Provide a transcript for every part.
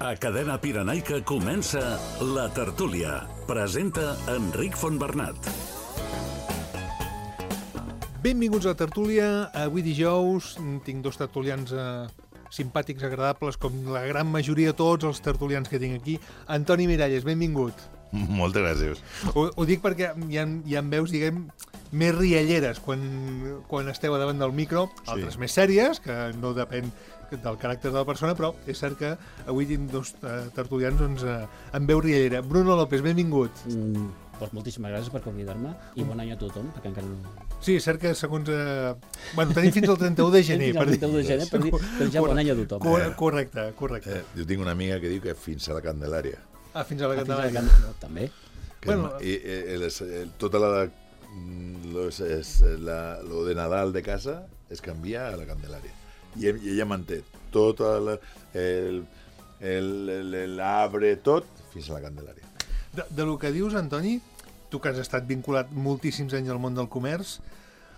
A Cadena Pirenaica comença La Tertúlia. Presenta Enric Fontbernat. Benvinguts a La Tertúlia. Avui dijous tinc dos tertulians simpàtics, agradables, com la gran majoria de tots els tertulians que tinc aquí. Antoni Miralles, benvingut. Moltes gràcies. Ho dic perquè hi ha veus, diguem, més rialleres quan esteu a davant del micro, altres més sèries, que no depèn del caràcter de la persona, però és cert que avui tinc dos tertulians amb veu riallera. Bruno López, benvingut. Doncs moltíssimes gràcies per convidar-me i bon any a tothom, perquè encara no... Sí, és cert que segons... Bueno, tenim fins al 31 de gener. Fins al 31 de gener per dir ja bon any a tothom. Correcte. Jo tinc una amiga que diu que fins a la Candelària. Fins a la Candelària. També. Tota lo de Nadal de casa es canvia a la Candelària. I ella manté tot l'arbre, tot, fins a la Candelària. De lo que dius, Antoni, tu que has estat vinculat moltíssims anys al món del comerç,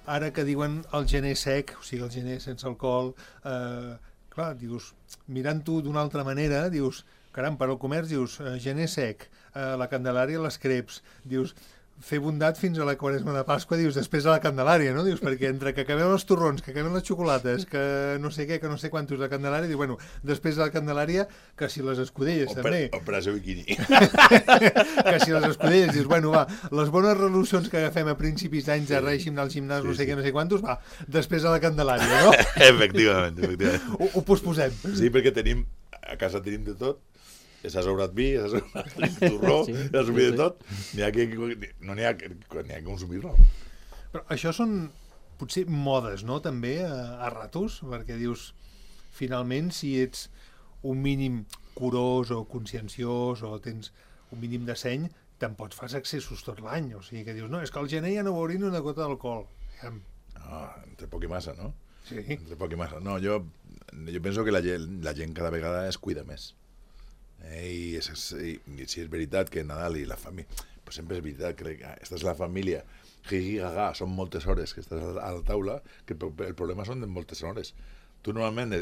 ara que diuen el gener sec, o sigui, el gener sense alcohol, clar, dius, mirant-ho d'una altra manera, dius, caram, per al comerç, dius, gener sec, la Candelària, les creps, dius, fer bondat fins a la Quaresma de Pasqua, dius, després a la Candelària, no? Dius, perquè entre que acabem els torrons, que acabem les xocolates, que no sé què, que no sé quantos de Candelària, diu, bueno, després de la Candelària, que si les escudelles també. Operació biquini. Que si les escudelles, dius, bueno, va, les bones resolucions que agafem a principis d'anys de règim del gimnàs, no sé què, no sé quantos, va, després a la Candelària, no? Efectivament. Ho posposem. Sí, perquè a casa tenim de tot. S'ha sobrat vi, s'ha sobrat torró, s'ha sobrat de tot. No n'hi ha que consumir-lo. Però això són potser modes, no?, també, a ratos, perquè dius, finalment, si ets un mínim curós o conscienciós o tens un mínim de seny, te'n pots fer excessos tot l'any. O sigui, que dius, no, és que al gener ja no veuré ni una gota d'alcohol. No, entre poc i massa, no? Sí. Entre poc i massa. No, jo penso que la gent cada vegada es cuida més. I si és veritat que Nadal i la família, pues sempre és veritat que estàs a la família, són moltes hores que estàs a la taula, que el problema són de moltes hores. Tu normalment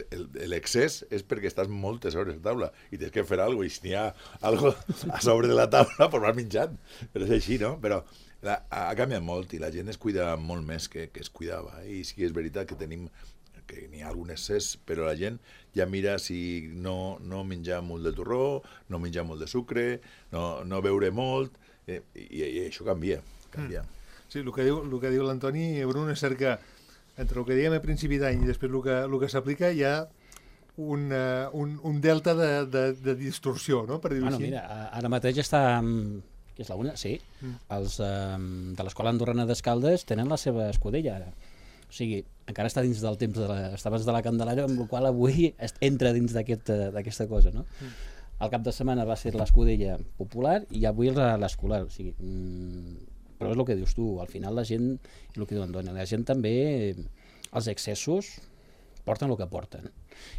l'excés és perquè estàs moltes hores a taula i tens que fer alguna cosa, i si n'hi ha alguna cosa a sobre de la taula, pues vas menjant. Però és així, no? Però ha canviat molt i la gent es cuida molt més que es cuidava. I sí que és veritat que n'hi ha algun excés, però la gent ja mira si no menjar molt de torró, no menjar molt de sucre, no beure molt, i això canvia. Sí, el que diu l'Antoni, Bruno, és cert que entre el que diguem a principi d'any i després el que s'aplica hi ha un delta de distorsió, no?, per dir-ho així. Mira, ara mateix està... que és la una? Sí. Els de l'Escola Andorrana d'Escaldes tenen la seva escudella, ara. O sigui, encara està dins del temps estaves de la Candelària, amb la qual avui entra dins d'aquesta cosa, no? El cap de setmana va ser l'escudella popular i avui l'escolar. O sigui, però és el que dius tu, al final la gent, i el que diu Antoni, la gent també, els excessos porten el que porten.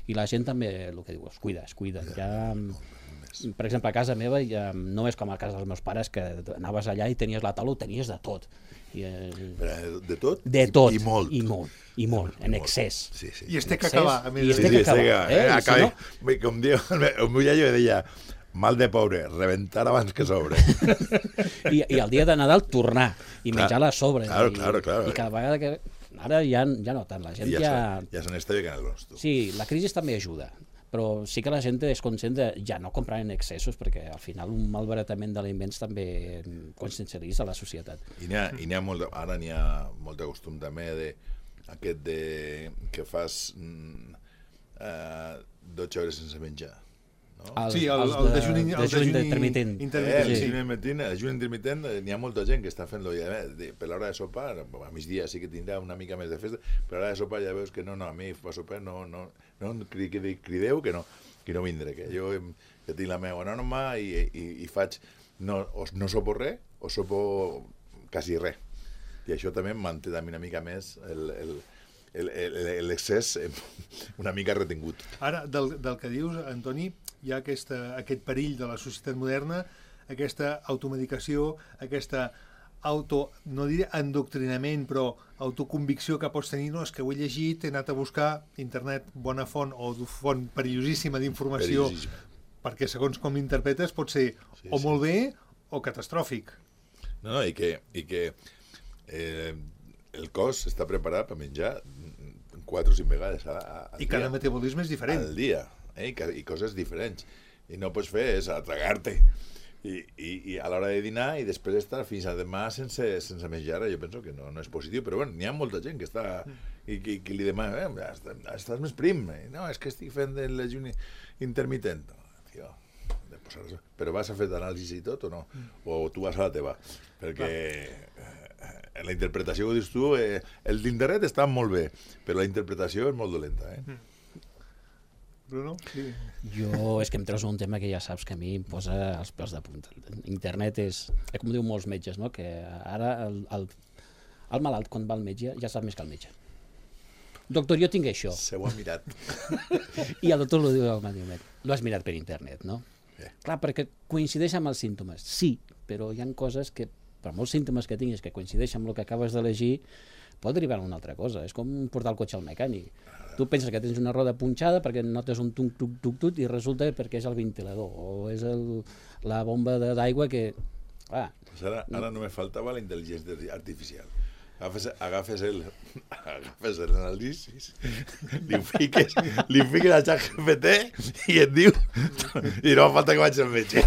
I la gent també, el que diu, es cuida. Ja, per exemple, a casa meva ja no és com a casa dels meus pares, que anaves allà i tenies la taula, ho tenies de tot. De tot? De tot. I molt. En excés. Sí. I es té que acabar. I es té que acabar. Com diu el meu iaio, deia, mal de pobre, reventar abans que sobre. I el dia de Nadal tornar i menjar-la a sobre. Claro. I cada vegada que... Ara ja no tant, la gent ja... Ja se n'està veient el nostre. Sí, la crisi també ajuda, però sí que la gent és conscient de ja no comprar en excessos, perquè al final un malbaratament d'aliments també consciencialitza la societat. I n'hi ha molt, ara n'hi ha molt de costum també que fas 12 hores sense menjar. No? Sí, el dejuni intermitent. El dejuni intermitent, n'hi ha molta gent que està fent-lo per l'hora de sopar, a migdia sí que tindrà una mica més de festa, però a l'hora de sopar ja veus que no, a mi per sopar no crideu que no vindré, que jo tinc la meva norma i faig, no sopo res o sopo quasi res. I això també manté també una mica més l'excés una mica retingut. Ara, del que dius, Antoni, hi ha aquest perill de la societat moderna, aquesta automedicació, aquesta no diré endoctrinament, però autoconvicció que pots tenir, no, és que ho he llegit, he anat a buscar internet, bona font o font perillosíssima d'informació, perquè segons com l'interpretes pot ser o molt bé o catastròfic. No, i que el cos està preparat per menjar 4 o 5 vegades al I cada dia. metabolisme és diferent. Al dia, i coses diferents. I no pots fer és atragar-te i a l'hora de dinar i després estar fins a demà sense menjar. Jo penso que no és positiu, però bueno, n'hi ha molta gent que està i que li demana, estàs més prim. No, és que estic fent el l'ajuni intermitent. Tio, però vas a fer d'anàlisi i tot o no? O tu vas a la teva? Perquè la interpretació que dius tu, el d'internet està molt bé, però la interpretació és molt dolenta. Bruno? Sí. Jo, és que em treus un tema que ja saps que a mi em posa els pèls de punta. Internet és com diuen molts metges, no? Que ara el malalt, quan va al metge, ja sap més que el metge. Doctor, jo tinc això. Se ho ha mirat. I el doctor lo diu al mateix. Lo has mirat per internet, no? Clar, perquè coincideix amb els símptomes. Sí, però hi ha coses que, per molts símptomes que tinguis que coincideixen amb el que acabes d'elegir, pot derivar a una altra cosa. És com portar el cotxe al mecànic. Tu penses que tens una roda punxada perquè notes un tuc-tuc-tuc i resulta perquè és el ventilador o és la bomba d'aigua que... Pues ara només faltava la intel·ligència artificial. Agafes l'anàlisi, li fiques a ChatGPT i et diu i no falta que vaig al metge.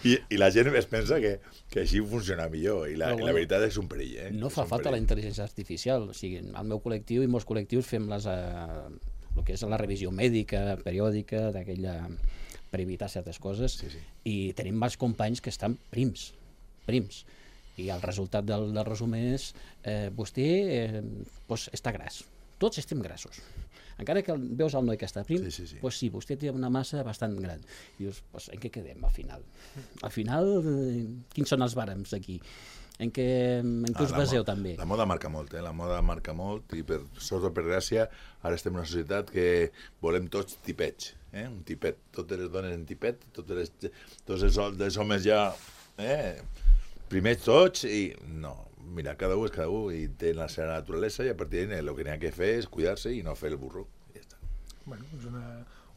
I la gent es pensa que així funciona millor i la veritat és un perill. No fa falta la intel·ligència artificial. O sigui, al meu col·lectiu i molts col·lectius fem el que és la revisió mèdica, periòdica, d'aquella per evitar certes coses, i tenim molts companys que estan prims. I el resultat del resum és vostè està gras. Tots estem grassos. Encara que veus el noi que està prim, doncs sí, vostè té una massa bastant gran. I dius, en què quedem al final? Al final, quins són els bàrems aquí? En què us baseu també? La moda marca molt, la moda marca molt, i per sort o per gràcia ara estem en una societat que volem tots tipets, un tipet, totes les dones en tipet, tots els homes ja... primers tots i no, mira, cada un és cada un i té la seva naturalesa i a partir d'ahí el que n'hi ha que fer és cuidar-se i no fer el burro. Ja està. Bueno, és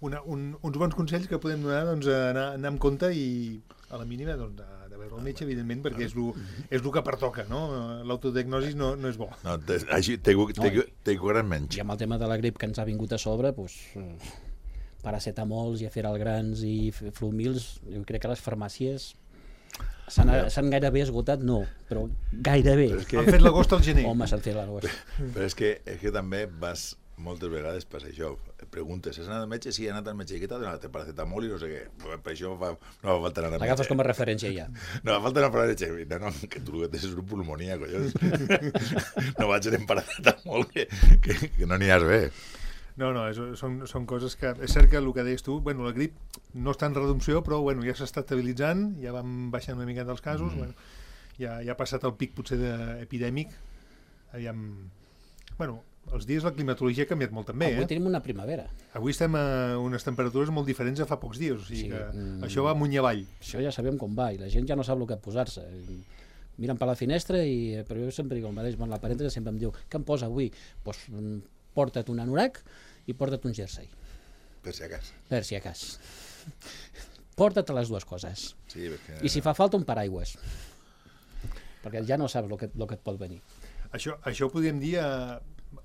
uns bons consells que podem donar, doncs, anar amb compte i a la mínima doncs, de veure el metge, evidentment, perquè és el que pertoca, no? L'autodiagnosi no és bo. No, així t'he curat menys. I amb el tema de la grip que ens ha vingut a sobre, doncs, paracetamols i aferalgrans i flumils, jo crec que les farmàcies s'han gairebé esgotat, no, però gairebé. Han fet l'agost al gener. Home, s'han fet l'agost. Però és que també vas moltes vegades per això, preguntes, has anat al metge? Sí, he anat al metge, i què t'ha donat? Paracetamol i no sé què. Per això no va faltar anar al metge. L'agafes com a referència ja. No va faltar anar al metge. No, que tu que tens una pulmonia, collons. No vaig anar amb paracetamol, que no n'hi has bé. No, són coses que... És cert que el que deies tu, bueno, la grip no està en reducció, però bueno, ja s'està estabilitzant, ja vam baixant una mica dels casos, bueno, ja ha passat el pic potser epidèmic. Aviam... Bueno, els dies la climatologia ha canviat molt també. Avui tenim una primavera. Avui estem a unes temperatures molt diferents a fa pocs dies, o sigui que això va amunt i avall. Això ja sabem com va, i la gent ja no sap el que posar-se. Miren per la finestra, però jo sempre dic el mateix, la parenta sempre em diu, què em posa avui? Doncs porta't un anorac i porta't un jersei. Per si acas. Per si acas. Porta't les dues coses. Sí, perquè... I si fa falta un paraigües. Perquè ja no saps el que et pot venir. Això ho podríem dir a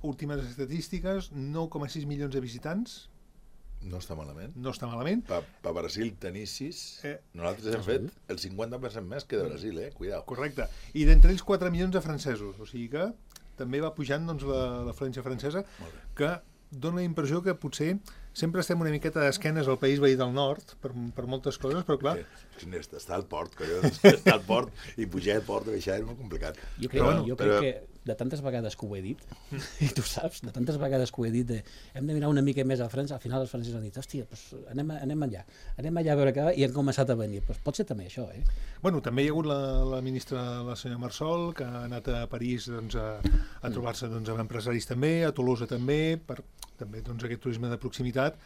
últimes estadístiques, 9,6 milions de visitants. No està malament. No està malament. Per Brasil tenir 6, nosaltres hem fet el 50% més que de Brasil, cuidao. Correcte. I d'entre ells 4 milions de francesos, o sigui que també va pujant doncs, l'afluència francesa, que dona la impressió que potser sempre estem una miqueta d'esquenes al país veí del nord, per moltes coses, però clar... Està al port, collons, està al port, i pujar al port i baixar és molt complicat. Jo crec que de tantes vegades que ho he dit, i tu saps, de tantes vegades que ho he dit, hem de mirar una mica més a França, al final els francesos han dit, hòstia, anem allà a veure què va, i han començat a venir. Pot ser també això, Bueno, també hi ha hagut la ministra, la senyora Marsol, que ha anat a París doncs, a trobar-se doncs, amb empresaris també, a Tolosa també, per també doncs, aquest turisme de proximitat.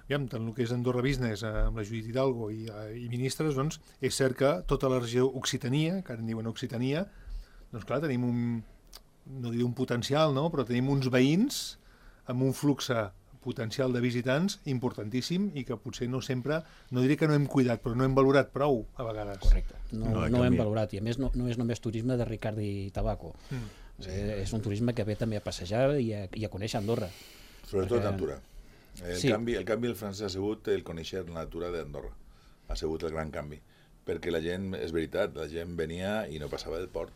Aviam, tant el que és Andorra Business amb la Judit Hidalgo i ministres, doncs, és cert que tota la regió Occitania, que ara en diuen Occitania, doncs clar, tenim no diré un potencial, no? Però tenim uns veïns amb un flux potencial de visitants importantíssim i que potser no sempre, no diré que no hem cuidat, però no hem valorat prou a vegades. Correcte, no hem valorat, i a més no és només turisme de Ricard i Tabaco, és un turisme que ve també a passejar i a conèixer Andorra. Sobretot natura. El canvi del francès ha sigut el conèixer la natura d'Andorra, ha sigut el gran canvi, perquè la gent, és veritat, la gent venia i no passava del port.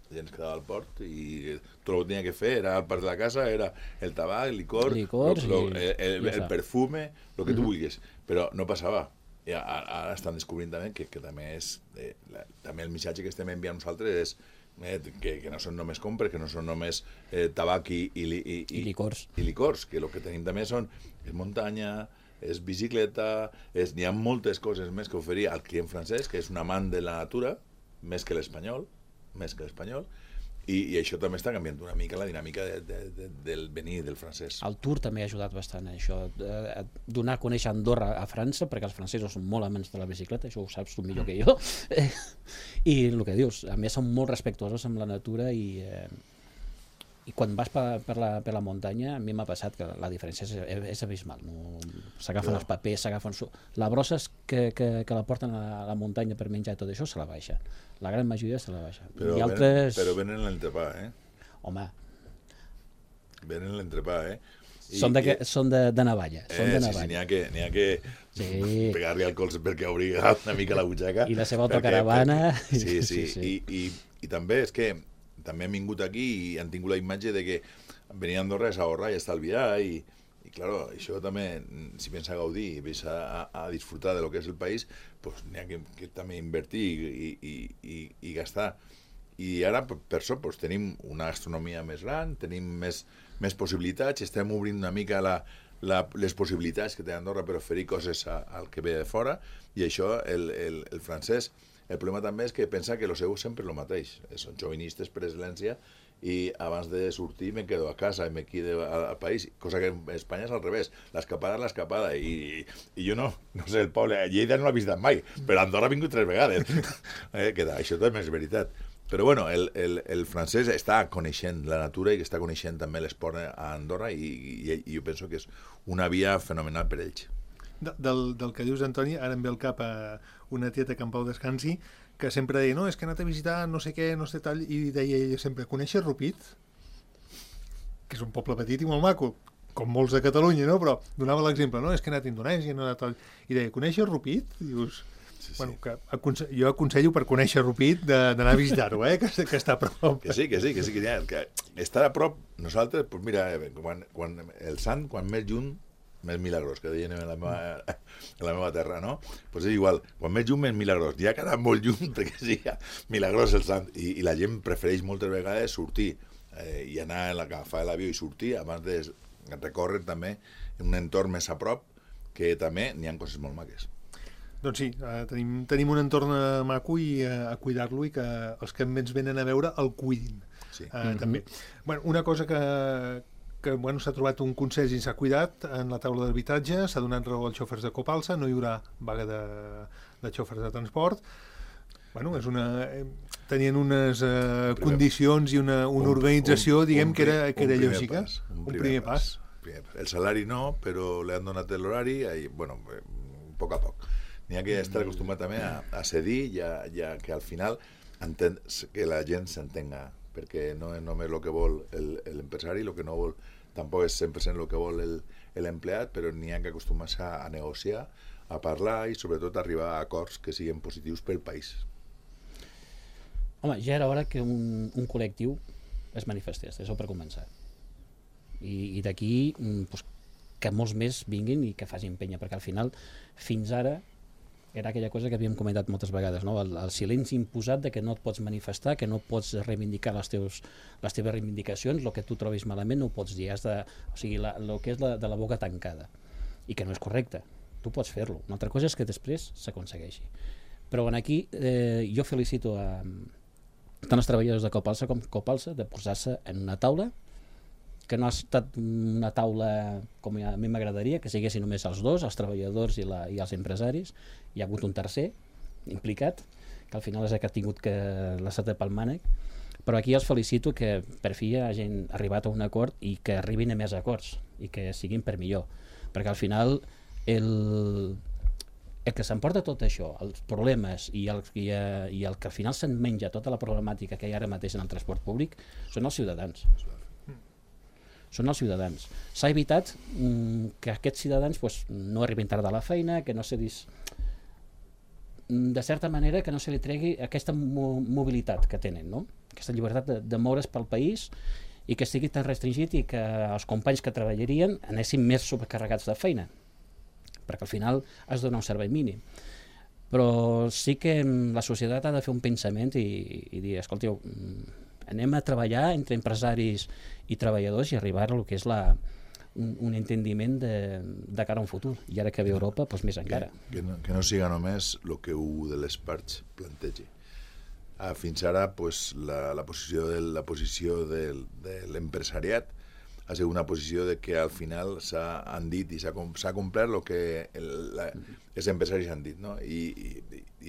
La gent es quedava al port i tot el que tenia que fer era al parc de la casa, era el tabac, el licors el perfume, el que tu vulguis, però no passava. I ara estan descobrint també que també és també el missatge que estem enviant nosaltres és que no són només compres, que no són només tabac i licors, que el que tenim també és muntanya, és bicicleta, n'hi ha moltes coses més que oferir al client francès, que és un amant de la natura, més que l'espanyol, i això també està canviant una mica la dinàmica del venir del francès. El Tour també ha ajudat bastant a això, a donar a conèixer Andorra a França, perquè els francesos són molt amants de la bicicleta, això ho saps tu millor que jo, i el que dius, a més són molt respectuosos amb la natura i quan vas per la muntanya, a mi m'ha passat que la diferència és abismal. S'agafen els papers, la brossa que la porten a la muntanya per menjar i tot això se la baixa. La gran majoria se la baixa. Però venen l'entrepà, Home. Venen l'entrepà, Són de navalla. Sí, n'hi ha que pegar-li al colze perquè obri una mica la butxaca. I la seva autocaravana. Sí. I també és que també han vingut aquí i han tingut la imatge de que venir a Andorra és ahorrar i estalviar i claro, això també, si pensa gaudir i pensa a disfrutar de lo que és el país, pues n'hi ha que també invertir i gastar. I ara, per això, pues, tenim una gastronomia més gran, tenim més possibilitats, estem obrint una mica les possibilitats que té Andorra per oferir coses al que ve de fora, i això, el francès, el problema també és que pensa que el seu sempre és el mateix, són jovenistes per excel·lència i abans de sortir me quedo a casa i me quedo al país, cosa que en Espanya és al revés, l'escapada és l'escapada i jo no sé, el poble, Lleida no l'ha visitat mai, però Andorra ha vingut 3 vegades, això també és veritat. Però bueno, el francès està coneixent la natura i està coneixent també l'esport a Andorra i jo penso que és una via fenomenal per ells. Del que dius, Antoni, ara em ve al cap a una tieta que en pau descansi, que sempre deia, no, és que he anat a visitar no sé què, no sé tal, i deia ella sempre, coneixes Rupit? Que és un poble petit i molt maco, com molts de Catalunya, no? Però donava l'exemple, no, és que he anat a Indonèsia, no he anat i deia, coneixes Rupit? I dius, bueno, que jo aconsello per conèixer Rupit d'anar a visitar-ho, que està a prop. Que sí, que estar a prop, nosaltres, pues mira, quan el sant, quan més lluny, més milagrós, que deien en la meva terra, no? Pues és igual, quan més lluny, més milagrós. Ja ha quedat molt lluny perquè sigui milagrós el sant. I la gent prefereix moltes vegades sortir i anar a agafar l'avió i sortir abans de recórrer també en un entorn més a prop, que també n'hi ha coses molt maques. Doncs sí, tenim un entorn maco i a cuidar-lo i que els que ens venen a veure el cuidin. Sí. També. Bueno, una cosa que s'ha trobat un consens i s'ha cuidat en la taula d'arbitratge, s'ha donat raó als xòfers de Copalsa, no hi haurà vaga de xòfers de transport. Bueno, tenien unes condicions i una organització, diguem, que era lògica. Un primer pas. El salari no, però li han donat l'horari, bueno, a poc a poc. N'hi ha que estar acostumat també a cedir ja que al final que la gent s'entenga, perquè no és només el que vol l'empresari, el que no vol tampoc és 100% el que vol l'empleat, però n'hi ha que acostumar-se a negociar, a parlar i sobretot a arribar a acords que siguin positius pel país. Home, ja era hora que un col·lectiu es manifestés, això per començar. I d'aquí que molts més vinguin i que facin penya, perquè al final, fins ara, era aquella cosa que havíem comentat moltes vegades, no? El silenci imposat de que no et pots manifestar, que no pots reivindicar les teves reivindicacions, el que tu trobis malament no ho pots dir, o sigui, el que és de la boca tancada, i que no és correcte, tu pots fer-lo, una altra cosa és que després s'aconsegueixi. Però aquí jo felicito tant els treballadors de Copalsa com Copalsa de posar-se en una taula, que no ha estat una taula com a mi m'agradaria, que siguessin només els dos, els treballadors i els empresaris. Hi ha hagut un tercer implicat, que al final és el que ha tingut que la seta pel mànec, Però aquí els felicito que per fi hagin arribat a un acord i que arribin a més acords i que siguin per millor, perquè al final el que s'emporta tot això, els problemes i el que al final se'n menja tota la problemàtica que hi ha ara mateix en el transport públic són els ciutadans. Són els ciutadans. S'ha evitat que aquests ciutadans no arribin tard a la feina, que no se de certa manera que no se li tregui aquesta mobilitat que tenen, no? Aquesta llibertat de moure's pel país i que estigui tan restringit i que els companys que treballarien anessin més sobrecarregats de feina, perquè al final has de donar un servei mínim. Però sí que la societat ha de fer un pensament i dir, escolteu, anem a treballar entre empresaris i treballadors i arribar a el que és un entendiment de cara a un futur. I ara que ve Europa, doncs més encara. Que no siga només el que un de les parts plantegi. Fins ara, la posició de l'empresariat ha sigut una posició de que al final s'han dit i s'ha complert el que els empresaris han dit, no? I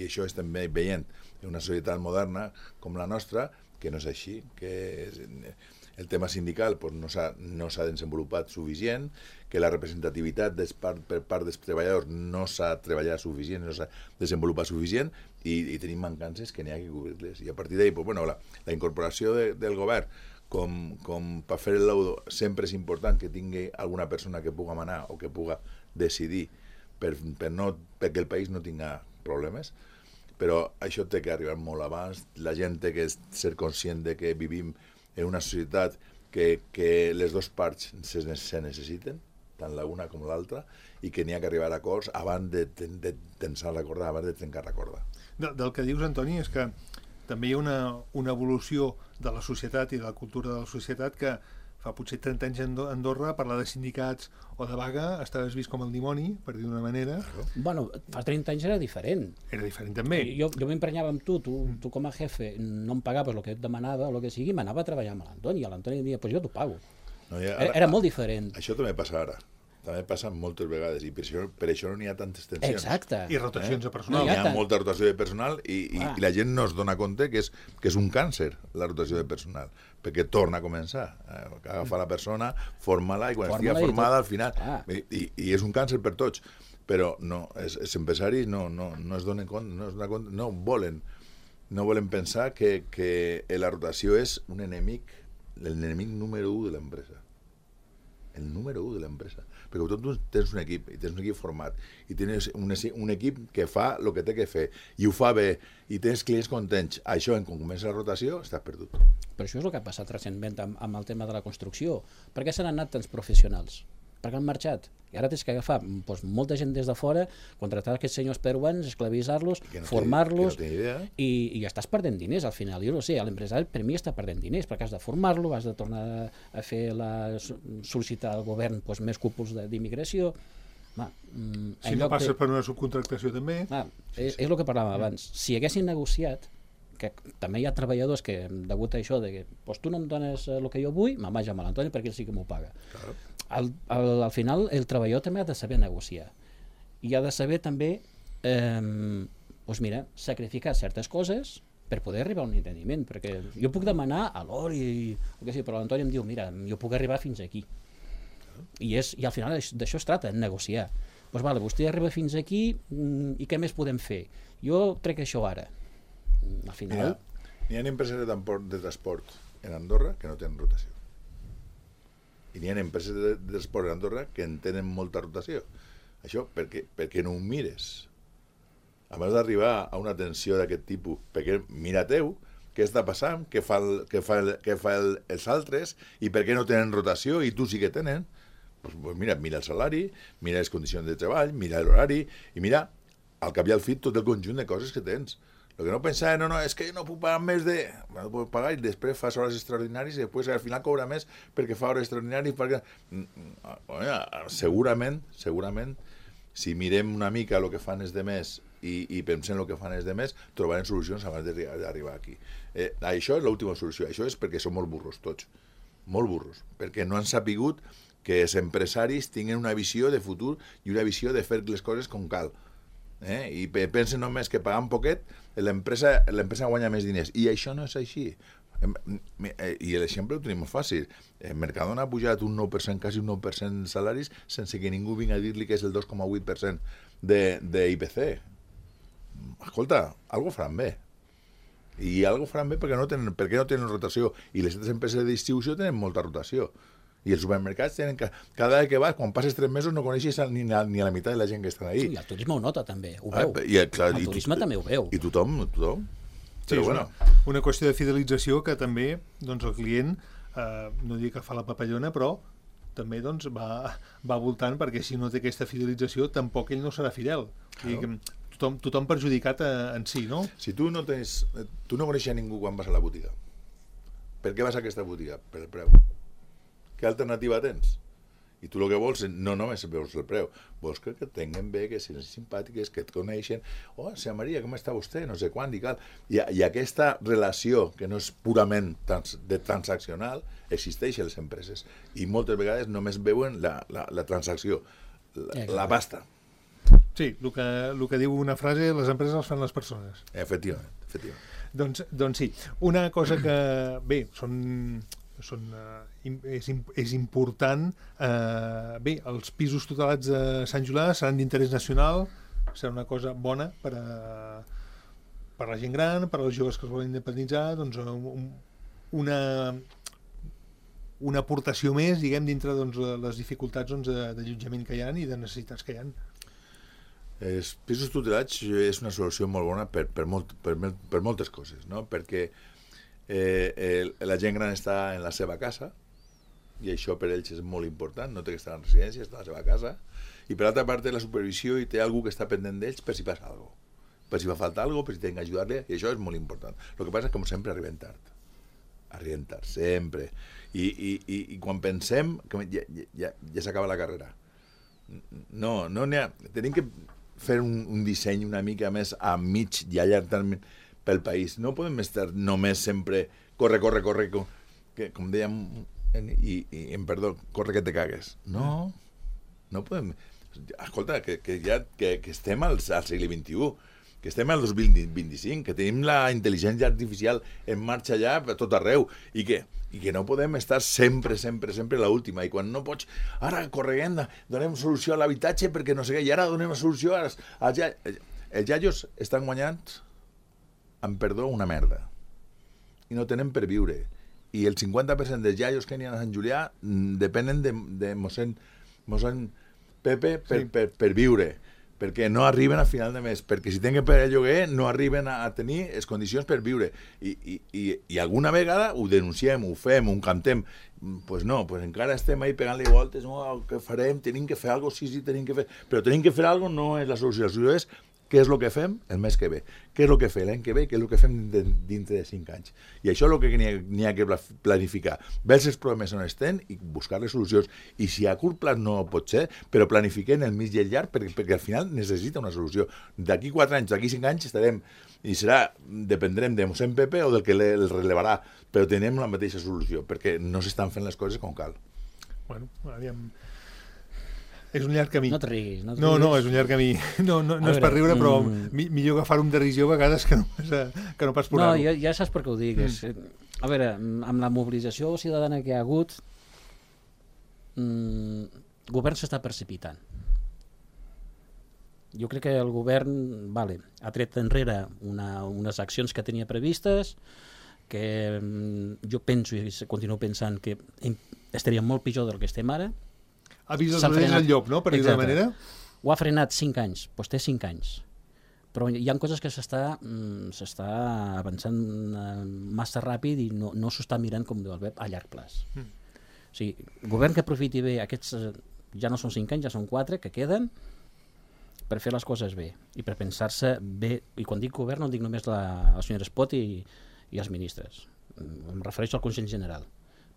això estem veient en una societat moderna com la nostra, que no és així, que el tema sindical no s'ha desenvolupat suficient, que la representativitat per part dels treballadors no s'ha treballat suficient, no s'ha desenvolupat suficient, i tenim mancances que n'hi ha que cobrir-les. I a partir d'ahí, la incorporació del govern com per fer el laudo sempre és important que tingui alguna persona que puga manar o que puga decidir perquè el país no tinga problemes, però això té que arribar molt abans. La gent té que ser conscient de que vivim en una societat que les dues parts se necessiten, tant l'una com l'altra, i que n'hi ha que arribar a acords abans de tensar la corda, abans de trencar la corda. Del que dius, Antoni, és que també hi ha una evolució de la societat i de la cultura de la societat que fa potser 30 anys a Andorra parlar de sindicats o de vaga estaves vist com el dimoni, per dir d'una manera. Bueno, fa 30 anys era diferent. Era diferent també. Jo m'emprenyava amb tu com a jefe no em pagaves el que et demanava o el que sigui, m'anava a treballar amb l'Antoni, i l'Antoni em deia, pues jo t'ho pago. Era molt diferent. Això també passa ara. També passa moltes vegades i per això no n'hi ha tantes tensions. Exacte. I rotacions de personal. Hi ha molta rotació de personal i la gent no es dona compte que és un càncer la rotació de personal, perquè torna a començar. Agafa la persona, forma-la i quan estigui formada al final... I és un càncer per tots, però no, els empresaris no es donen compte, no volen pensar que la rotació és un enemic, l'enemic número 1 de l'empresa. El número 1 de l'empresa. Perquè tu tens un equip, i tens un equip format, i tens un equip que fa el que té que fer, i ho fa bé, i tens clients contents. Això, quan comença la rotació, estàs perdut. Però això és el que ha passat recentment amb el tema de la construcció. Per què se n'han anat tants professionals? Per què han marxat? I ara tens que agafar molta gent des de fora, contractar aquests senyors peruans, esclavitzar-los, formar-los, i estàs perdent diners al final. Jo no sé, l'empresari per mi està perdent diners, perquè has de formar-lo, has de tornar a fer sol·licitar al govern més cúpuls d'immigració. Si no passes per una subcontractació també. És el que parlàvem abans. Si haguessin negociat, que també hi ha treballadors que, degut a això, que tu no em dones el que jo vull, me'n vaig amb l'Antoni perquè ell sí que m'ho paga. Al final el treballador també ha de saber negociar i ha de saber també sacrificar certes coses per poder arribar a un entendiment, perquè jo puc demanar a l'hora però l'Antoni em diu, mira, jo puc arribar fins aquí i al final d'això es trata, negociar. Vostè arriba fins aquí i què més podem fer? Jo trec això ara. Al final... N'hi ha empreses de transport en Andorra que no tenen rotació. I n'hi ha empreses de transport en Andorra que en tenen molta rotació. Això perquè no ho mires. Abans d'arribar a una tensió d'aquest tipus, perquè mira teu, què està passant, què fa els altres, i per què no tenen rotació i tu sí que tenen, mira el salari, mira les condicions de treball, mira l'horari, i mira, al cap i al fi, tot el conjunt de coses que tens. El que no pensava, és que no puc pagar més de... No puc pagar i després fas hores extraordinàries i després al final cobra més perquè fa hores extraordinàries. Segurament, si mirem una mica el que fan els demés i pensem el que fan els demés, trobarem solucions abans d'arribar aquí. Això és l'última solució. Això és perquè som molt burros tots. Molt burros. Perquè no han sapigut que els empresaris tinguin una visió de futur i una visió de fer les coses com cal. I pensen només que pagant poquet l'empresa guanya més diners, i això no és així. I l'exemple ho tenim molt fàcil. Mercadona ha pujat un 9%, quasi un 9% de salaris, sense que ningú vingui a dir-li que és el 2,8% d'IPC. Escolta, algo faran bé. I algo faran bé perquè no tenen rotació. I les altres empreses de distribució tenen molta rotació. I els supermercats tenen cada vegada que vas, quan passes 3 mesos no coneixes ni a la meitat de la gent que estan ahí. I el turisme ho nota també, ho veu. El turisme també ho veu. I tothom. Sí, Però és bueno. una qüestió de fidelització que també doncs, el client, no dic que fa la papallona, però també doncs, va voltant, perquè si no té aquesta fidelització tampoc ell no serà fidel. Claro. Tothom perjudicat en si, no? Si tu no coneixes ningú quan vas a la botiga, per què vas a aquesta botiga? Per el preu. Què alternativa tens? I tu el que vols no només veus el preu, vols que et tinguen bé, que siguin simpàtiques, que et coneixen. Oh, senyora Maria, com està vostè? No sé quan i cal. I aquesta relació, que no és purament transaccional, existeix a les empreses. I moltes vegades només veuen la transacció, la pasta. Sí, el que diu una frase, les empreses les fan les persones. Efectivament. Doncs sí. Una cosa que, bé, és important. Bé, els pisos tutelats de Sant Julià seran d'interès nacional, serà una cosa bona per la gent gran, per als joves que es volen independitzar, doncs una aportació més, diguem, dintre doncs, les dificultats d'allotjament que hi ha i de necessitats que hi ha. Els pisos tutelats és una solució molt bona per moltes coses, no? Perquè la gent gran està en la seva casa i això per ells és molt important, no té que estar en residència, està a la seva casa, i per altra part té la supervisió i té algú que està pendent d'ells per si passa alguna cosa, per si fa falta alguna cosa, per si tenen que ajudar-li, i això és molt important. El que passa és que, com sempre, arriben tard, sempre, i quan pensem que ja s'acaba la carrera, no n'hi ha, tenim que fer un disseny una mica més a mig i a llarg termini pel país. No podem estar només sempre corre, que, com dèiem, perdó, corre que te cagues. No podem. Escolta, que estem al segle XXI, que estem al 2025, que tenim la intel·ligència artificial en marxa ja a tot arreu, i que no podem estar sempre l'última, i quan no pots, ara correguem, donem solució a l'habitatge perquè no sé què, i ara donem solució als els iaios estan guanyant, amb perdó, una merda, i no tenen per viure, i el 50% dels iaios que n'hi ha a Sant Julià depenen de mossèn Pepe per viure, perquè no arriben a final de mes, perquè si tenen que pagar el lloguer no arriben a tenir les condicions per viure, i alguna vegada ho denunciem, ho fem, ho cantem, pues no, pues encara estem ahí pegant-li voltes, no, què farem, tenim que fer alguna cosa, sí, tenim que fer, però tenim que fer alguna cosa no és la solució, la solució és què és el que fem el mes que ve, què és el que fem l'any que ve, què és el que fem dintre de 5 anys. I això és el que n'hi ha que planificar. Veure els problemes on estem i buscar-les solucions. I si a curt plaç no pot ser, però planifiquem el mig i el llarg perquè al final necessita una solució. D'aquí 4 anys, d'aquí 5 anys estarem, i dependrem de mossèn Pepe o del que el relevarà, però tenim la mateixa solució, perquè no s'estan fent les coses com cal. Bueno, aviam... És un llarg camí. No et riguis. No, és un llarg camí. No és per riure, però millor agafar un derisió a vegades que no pas por-ho. No, ja saps per què ho dic. A veure, amb la mobilització ciutadana que hi ha hagut, el govern s'està precipitant. Jo crec que el govern ha tret enrere unes accions que tenia previstes, que jo penso i continuo pensant que estaríem molt pitjor del que estem ara. Ha vist els orelles al llop, no?, per dir-ho d'una manera. Ho ha frenat 5 anys, doncs té 5 anys. Però hi ha coses que s'està avançant massa ràpid i no s'ho està mirant, com diu el Pep, a llarg plaç. O sigui, el govern que aprofiti bé aquests, ja no són 5 anys, ja són 4 que queden, per fer les coses bé i per pensar-se bé. I quan dic govern no dic només la senyora Espot i els ministres. Em refereixo al Consell General,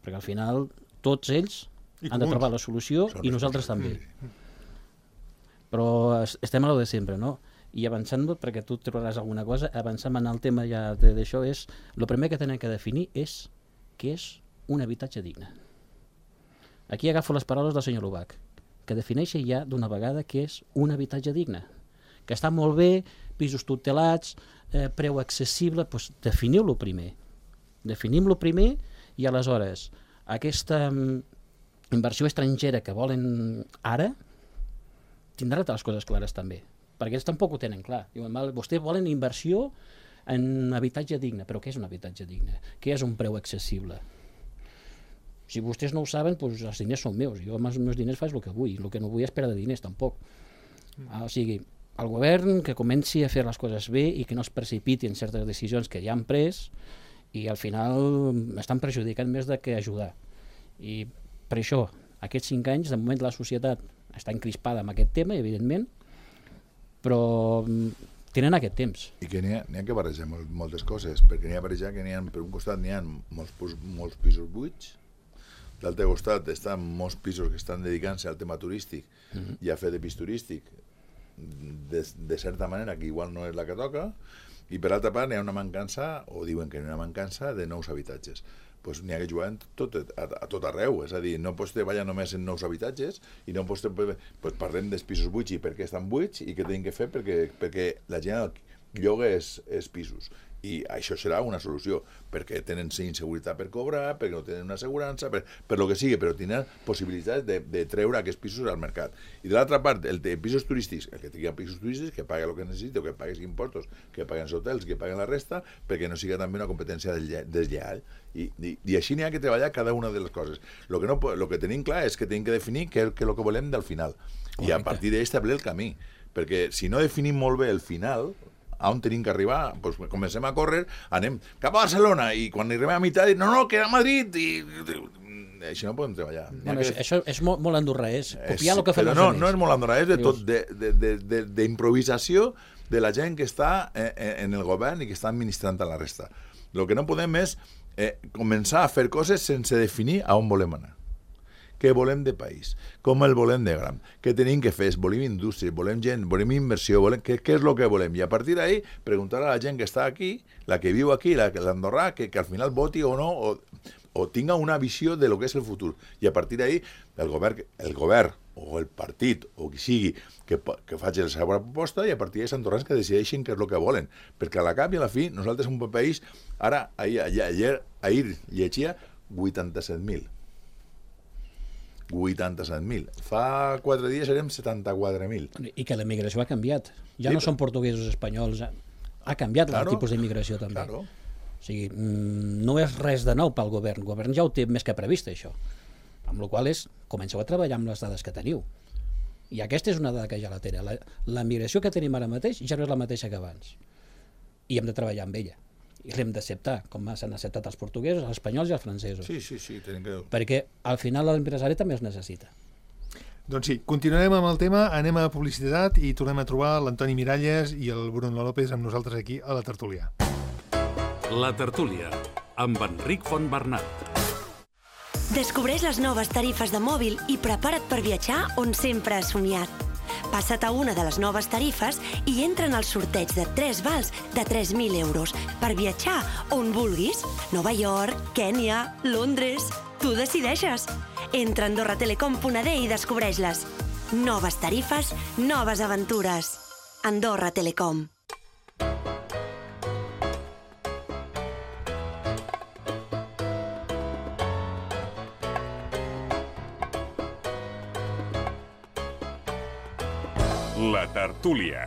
perquè al final tots ells han de trobar la solució i nosaltres també. Però estem a lo de sempre, no? I avançant, perquè tu trobaràs alguna cosa, avançant en el tema ja d'això, el primer que tenen que definir és què és un habitatge digne. Aquí agafo les paraules del senyor Lubac, que defineixi ja d'una vegada què és un habitatge digne. Que està molt bé, pisos tutelats, preu accessible, doncs definiu-lo primer. Definim-lo primer i aleshores aquesta inversió estrangera que volen ara tindrà totes les coses clares també, perquè ells tampoc ho tenen clar. Diuen, vostès volen inversió en habitatge digne, però què és un habitatge digne? Què és un preu accessible? Si vostès no ho saben, doncs els diners són meus. Jo amb els meus diners faig el que vull. El que no vull és perdre diners, tampoc. O sigui, el govern que comenci a fer les coses bé i que no es precipiti en certes decisions que ja han pres i al final estan perjudicant més de que ajudar. I per això, aquests 5 anys, de moment la societat està encrispada amb aquest tema, evidentment, però tenen aquest temps. I que n'hi ha que barrejar moltes coses, perquè n'hi ha barrejar que per un costat n'hi ha molts pisos buits, d'altre costat estan molts pisos que estan dedicant-se al tema turístic i a fer de pis turístic de certa manera que igual no és la que toca, i per altra part n'hi ha una mancança, o diuen que n'hi ha una mancança de nous habitatges. Pues n'hi ha que jugar a tot arreu, és a dir, no pots treballar només en nous habitatges i no pots pues parlem dels pisos buits i per què estan buits i què tenim que fer perquè la gent lloga els pisos. I això serà una solució, perquè tenen inseguretat per cobrar, perquè no tenen una assegurança, per lo que sigui, però tenen possibilitats de treure aquests pisos al mercat. I de l'altra part, el de pisos turístics, el que tingui pisos turístics, que pague el que necessita, que pague els impostos, que paguen els hotels, que paguen la resta, perquè no siga també una competència deslleial. I així n'hi ha que treballar cada una de les coses. Lo que tenim clar és que tenim que definir què és el que volem del final. I a partir d'ahí establir el camí. Perquè si no definim molt bé el final, a on tenim que arribar, doncs comencem a córrer, anem cap a Barcelona, i quan arribem a meitat, no, que era a Madrid, i així no podem treballar. Bueno, això és molt andorrà, és copiar el que fan els altres. No és molt andorrà, és de tot, d'improvisació de la gent que està en el govern i que està administrant a la resta. El que no podem és començar a fer coses sense definir a on volem anar. Què volem de país, com el volem de gran, què tenim que fer, volem indústria, volem gent, volem inversió, què és el que volem, i a partir d'ahí preguntar a la gent que està aquí, la que viu aquí, l'andorrà, que al final voti o no, o tinga una visió de lo que és el futur, i a partir d'ahí el govern o el partit o qui sigui que faci la seva proposta, i a partir d'ahí els andorrans que decideixin què és el que volen, perquè a la cap i a la fi nosaltres som un país, ahir llegia 87.000. 87.000. Fa 4 dies érem 74.000. I que la migració ha canviat. Ja no són portuguesos espanyols. Ha canviat el tipus d'immigració també. Claro. O sigui, no és res de nou pel govern. El govern ja ho té més que previst, això. Amb la qual cosa comenceu a treballar amb les dades que teniu. I aquesta és una dada que ja la té. La migració que tenim ara mateix ja no és la mateixa que abans. I hem de treballar amb ella. I l'hem d'acceptar, com s'han acceptat els portuguesos, els espanyols i els francesos. Sí, tenim que... Perquè al final l'empresari també es necessita. Doncs sí, continuarem amb el tema, anem a publicitat i tornem a trobar l'Antoni Miralles i el Bruno López amb nosaltres aquí a la tertúlia. La tertúlia, amb Enric Fontbernat. Descobreix les noves tarifes de mòbil i prepara't per viatjar on sempre has somiat. Passa't a una de les noves tarifes i entra en el sorteig de 3 vals de 3.000 euros per viatjar on vulguis. Nova York, Kènia, Londres... Tu decideixes. Entra a AndorraTelecom.d i descobreix-les. Noves tarifes, noves aventures. Andorra Telecom. La tertúlia.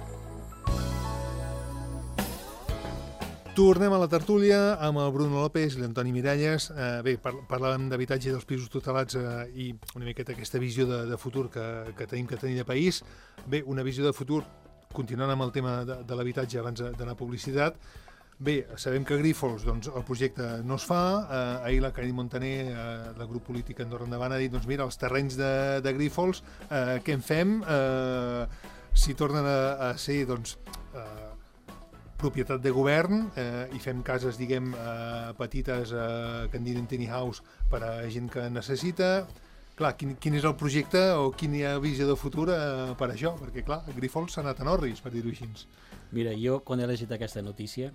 Tornem a la tertúlia amb el Bruno López i l'Antoni Miralles. Bé, parlàvem d'habitatge dels pisos tutelats i una miqueta aquesta visió de futur que tenim que tenir de país. Bé, una visió de futur, continuant amb el tema de l'habitatge abans d'anar a publicitat. Bé, sabem que a Grífols doncs, el projecte no es fa. Ahir la Cari Montaner, del grup polític Andorra Endavant, ha dit, doncs mira, els terrenys de Grífols, què en fem? Si tornen a ser doncs, propietat de govern i fem cases, diguem, petites que en diuen tiny house per a gent que necessita. Clar, quin és el projecte o quina visió de futur per això? Perquè, clar, Grífols s'ha anat en orris, per dir-ho així. Mira, jo quan he llegit aquesta notícia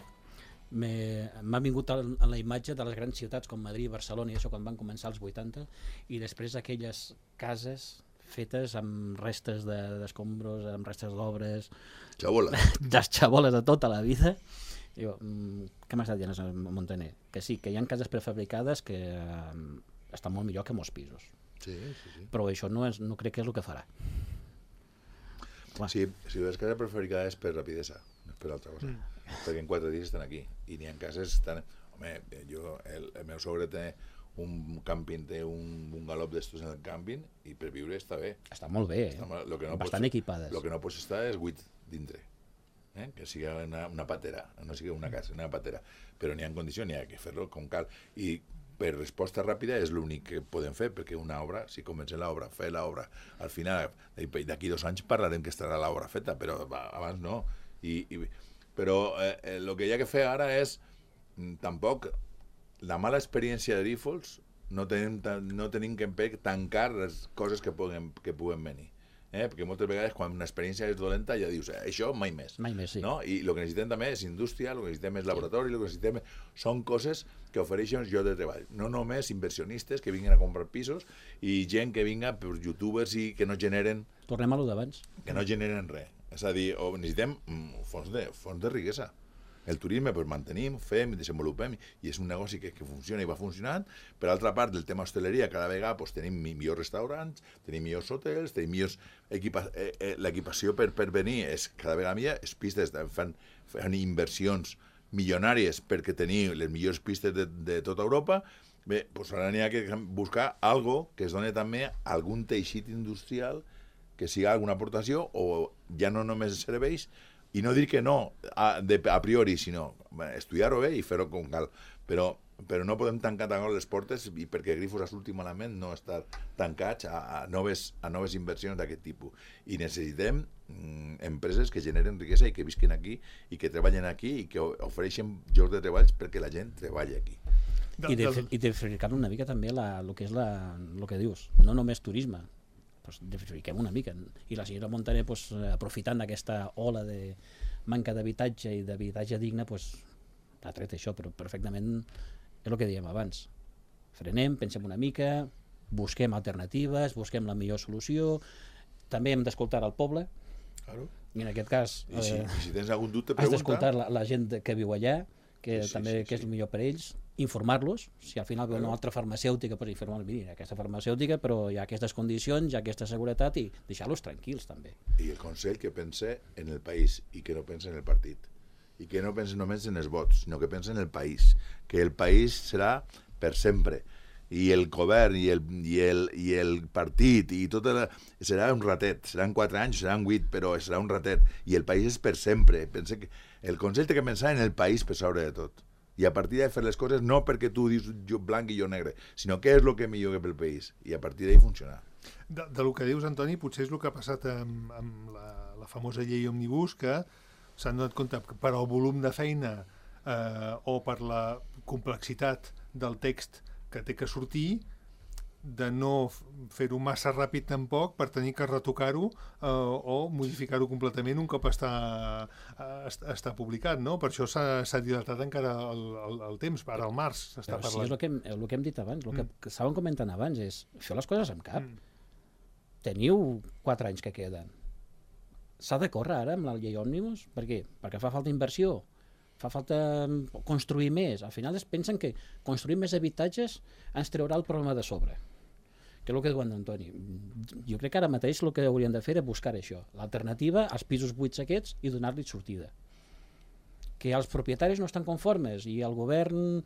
m'ha vingut a la imatge de les grans ciutats com Madrid, Barcelona i això quan van començar els 80 i després aquelles cases fetes amb restes d'escombros, amb restes d'obres, xaboles de tota la vida, Jo, què m'ha estat dient Montaner? Que sí, que hi ha cases prefabricades que estan molt millor que molts pisos. Sí. Però això no crec que és el que farà. Sí, si les cases prefabricades és per rapidesa, no és per altra cosa. Perquè en 4 dies estan aquí. I n'hi ha cases que estan... Home, el meu sogre té un càmping, té un galop d'estos en el càmping i per viure està bé. Està molt bé, bastant equipades. El que no pots estar és buit dintre. Que sigui una patera, no sigui una casa, una patera. Però n'hi ha condicions, n'hi ha que fer-lo com cal. I per resposta ràpida és l'únic que podem fer, perquè una obra, si comencem l'obra, fer l'obra, al final, d'aquí 2 anys parlarem que estarà l'obra feta, però abans no. Però el que hi ha que fer ara és, tampoc, la mala experiència de Grifols, no tenim que tancar les coses que puguen venir. Perquè moltes vegades quan una experiència és dolenta ja dius, això mai més. Mai més, sí. No? I el que necessitem també és indústria, el que necessitem és laboratori, el que necessitem són coses que ofereixen llocs de treball. No només inversionistes que vinguin a comprar pisos i gent que vinga per youtubers i que no generen... Tornem a lo d'abans. Que no generen res. És a dir, necessitem fons de riquesa. El turisme, pues, mantenim, fem, desenvolupem, i és un negoci que funciona i va funcionant. Per altra part, del tema hosteleria, cada vegada pues, tenim millors restaurants, tenim millors hotels, tenim millors l'equipació per venir és cada vegada millor, les pistes fan inversions milionàries perquè tenir les millors pistes de tota Europa. Bé, pues ara n'hi ha que buscar algo que es doni també algun teixit industrial que siga alguna aportació o ja no només serveis. I no dir que no a priori, sinó estudiar-ho bé i fer-ho com cal. Però no podem tancar les portes i perquè Grifols a l'últim element no estar tancats a noves inversions d'aquest tipus. I necessitem empreses que generen riquesa i que visquen aquí i que treballen aquí i que ofereixen llocs de treballs perquè la gent treballi aquí. I diversificar una mica també el que és el que dius, no només turisme, diversifiquem una mica. I la senyora Montaner, aprofitant d'aquesta ola de manca d'habitatge i d'habitatge digne, ha tret això, però perfectament és el que dèiem abans. Frenem, pensem una mica, busquem alternatives, busquem la millor solució, també hem d'escoltar el poble, claro. I en aquest cas I si tens algun dubte, has d'escoltar la gent que viu allà, que també és el millor per ells, informar-los, si al final ve una altra farmacèutica, informar-los, mira, aquesta farmacèutica, però hi ha aquestes condicions, hi ha aquesta seguretat, i deixar-los tranquils també. I el Consell que pense en el país i que no pense en el partit. I que no pense només en els vots, sinó que pense en el país. Que el país serà per sempre. I el govern i el partit i tot serà un ratet. Seran 4 anys, seran 8, però serà un ratet. I el país és per sempre. Pense que el Consell té que pensar en el país per sobre de tot. I a partir de fer les coses no perquè tu dius jo blanc i jo negre, sinó què és el que millor que pel país. I a partir d'ahí funcionar. Del que dius, Antoni, potser és el que ha passat amb la famosa llei Òmnibus, que s'han donat compte que per al volum de feina o per la complexitat del text que té que sortir, de no fer-ho massa ràpid tampoc per tenir que retocar-ho o modificar-ho completament un cop està publicat, no? Per això s'ha dilatat encara el temps, ara al març s'està parlant. Sí, és el que hem dit abans, el que estàvem comentant abans és fer les coses amb cap. Teniu 4 anys que queden. S'ha de córrer ara amb la llei Òmnibus? Per què? Perquè fa falta inversió, fa falta construir més. Al final es pensen que construir més habitatges ens treurà el problema de sobre, que és el que diu Antoni. Jo crec que ara mateix el que hauríem de fer és buscar això, l'alternativa als pisos buits aquests i donar-li sortida. Que els propietaris no estan conformes i el govern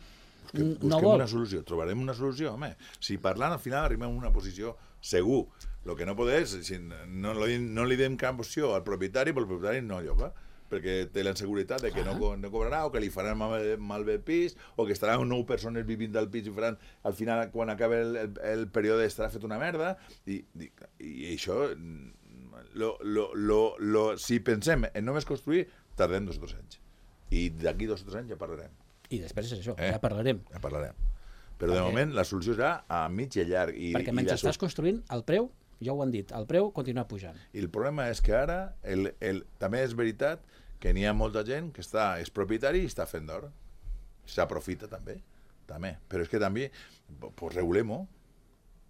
no vol. Una solució, trobarem una solució, home. Si parlant al final arribem a una posició segur. El que no podem és, no li dem cap opció al propietari, però el propietari no lloga, perquè té la inseguretat de que no cobrarà o que li faran malbé el pis o que estaran 9 persones vivint del pis i faran, al final, quan acaba el període, estarà fet una merda. I això, si pensem en només construir, tardem 2 o 3 anys. I d'aquí 2 o 3 anys ja parlarem. I després és això, ja parlarem. Ja parlarem. Però de moment la solució serà a mig i llarg. Perquè mentre estàs construint, el preu, ja ho han dit, el preu continua pujant. I el problema és que ara també és veritat que n'hi ha molta gent que és propietari i està fent d'or. S'aprofita també. Però és que també, pues regulem-ho.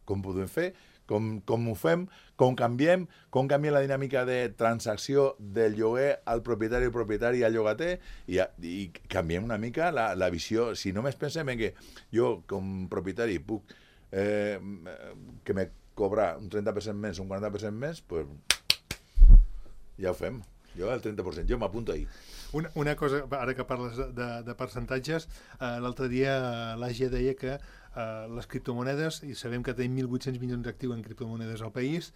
Com podem fer com ho fem, com canvia la dinàmica de transacció del lloguer al propietari al llogater i canviem una mica la visió. Si només pensem en que jo, com propietari, puc que me cobrar un 30% més, un 40% més, pues, ja ho fem. Jo el 30%, jo m'apunto ahir. Una cosa, ara que parles de percentatges, l'altre dia l'AGE deia que les criptomonedes, i sabem que tenim 1.800 milions d'actius en criptomonedes al país,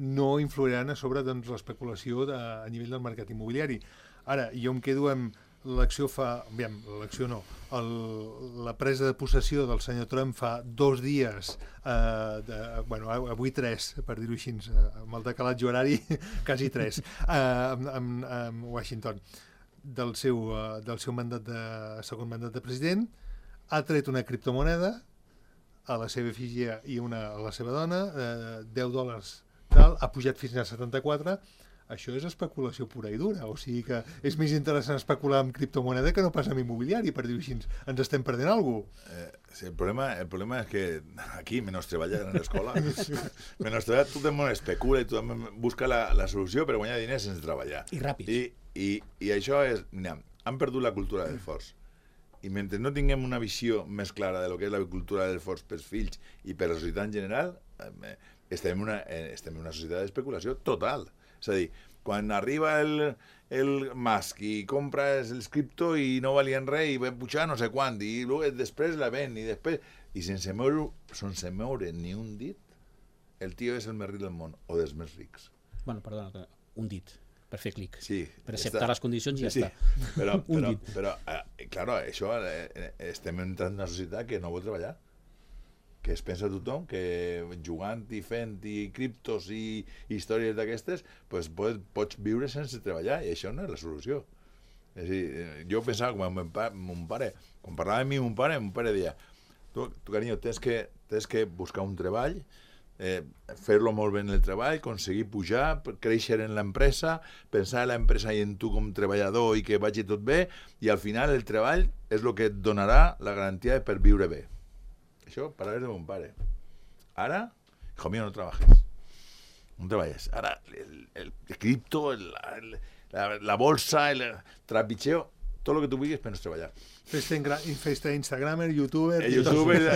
no influiran a sobre l'especulació a nivell del mercat immobiliari. Ara, jo em quedo amb l'acció la presa de possessió del senyor Trump fa 2 dies, avui 3, per dir-ho així, amb el decalatge horari, quasi 3, amb Washington, del seu mandat segon mandat de president, ha tret una criptomoneda a la seva efígie i a la seva dona, $10 tal, ha pujat fins a 74. Això és especulació pura i dura, o sigui que és més interessant especular amb criptomoneda que no pas amb immobiliari, per dir-ho així, ens estem perdent alguna cosa. Sí, el problema és que aquí, menys treballar en l'escola, menys treballar, tothom especula i tothom busca la solució per guanyar diners sense treballar. I ràpid. I això és, mira, han perdut la cultura del l'esforç. I mentre no tinguem una visió més clara de lo que és la cultura del l'esforç pels fills i per la societat en general, estem en una societat d'especulació total. És a dir, quan arriba el Musk i compra els cripto i no valien res i va pujar no sé quant i després la ven i sense moure ni un dit, el tio és el més ric del món o dels més rics. Bueno, perdona, un dit per fer clic, sí, per acceptar les condicions i ja està. Però claro, això estem entrant en una societat que no vol treballar, que es pensa tothom que jugant i fent i criptos i històries d'aquestes pues pots viure sense treballar i això no és la solució. És a dir, jo pensava com mon pare, quan parlava amb mon pare deia tu carinyo, tens que buscar un treball, fer-lo molt bé en el treball, aconseguir pujar, créixer en l'empresa, pensar en l'empresa i en tu com treballador i que vagi tot bé i al final el treball és el que et donarà la garantia per viure bé. Això, paraules de mon pare. Ara, hijo mío, no trabajes. No treballes. Ara, el cripto, la bolsa, el trapicheo, tot el que tu vulguis per no treballar. Festa Instagramer, youtuber...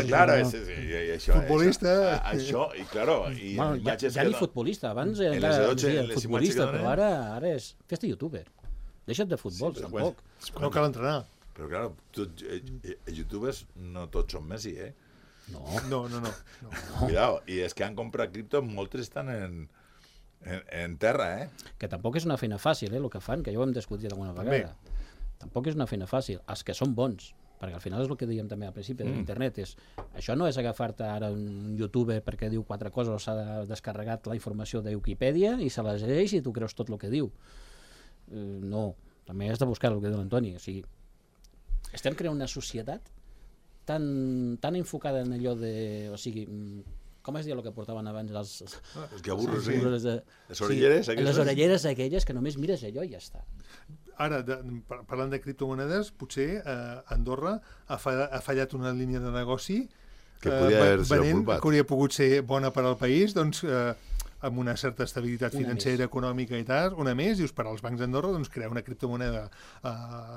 Claro, futbolista... Això, i claro... Ja ni futbolista, abans era futbolista, però ara és festa youtuber. Deixa't de futbol, tampoc. No cal entrenar. Però, claro, els youtubers no tots són Messi, eh? No. Cuidado, i és que han comprat cripto, moltes estan en terra, eh? Que tampoc és una feina fàcil, el que fan, que ja ho hem discutit alguna vegada. Tampoc és una feina fàcil. Els que són bons, perquè al final és el que dèiem també al principi de l'internet, això no és agafar-te ara un youtuber perquè diu 4 coses o s'ha descarregat la informació de Wikipedia i se la llegeix i tu creus tot el que diu. No, també has de buscar el que diu l'Antoni. O sigui, estem creant una societat tan enfocada en allò de... O sigui, com es diu el que portaven abans els gaburros, sí. Les orelleres aquelles? Les orelleres aquelles que només mires allò i ja està. Ara, parlant de criptomonedes, potser Andorra ha fallat una línia de negoci que hauria pogut ser bona per al país, doncs amb una certa estabilitat financera, econòmica i tal, una més, dius, per als bancs d'Andorra, doncs crear una criptomoneda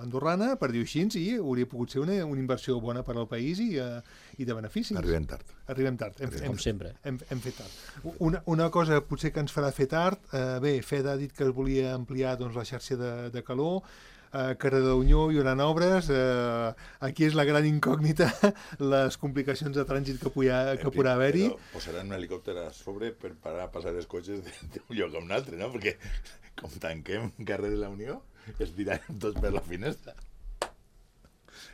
andorrana, per dir-ho així, i hauria pogut ser una inversió bona per al país i de beneficis. Arribem tard. Com sempre. Hem fet tard. Una cosa potser que ens farà fer tard, Fed ha dit que es volia ampliar doncs, la xarxa de calor, Cardedeunyó hi haurà obres, aquí és la gran incògnita, les complicacions de trànsit que podrà haver-hi. Posaran un helicòpter a sobre per parar a passar els cotxes d'un lloc a un altre, no? Perquè com tanquem carrer de la Unió, es tiraran tots per la finestra.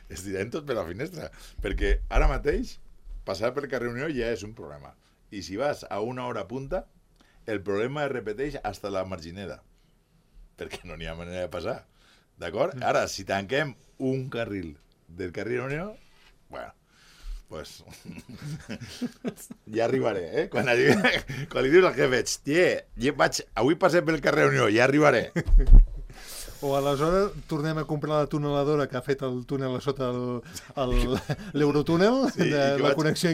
Perquè ara mateix passar per carrer Unió ja és un problema. I si vas a una hora punta, el problema es repeteix hasta la Margineda, perquè no n'hi ha manera de passar. D'acord? Ara, si tanquem un carril del carrer Unió, bueno, pues ja arribaré, eh? Quan li dius al jefe, avui passem pel carrer Unió, ja arribaré. O aleshores tornem a comprar la tuneladora que ha fet el túnel a sota l'Eurotúnel de la connexió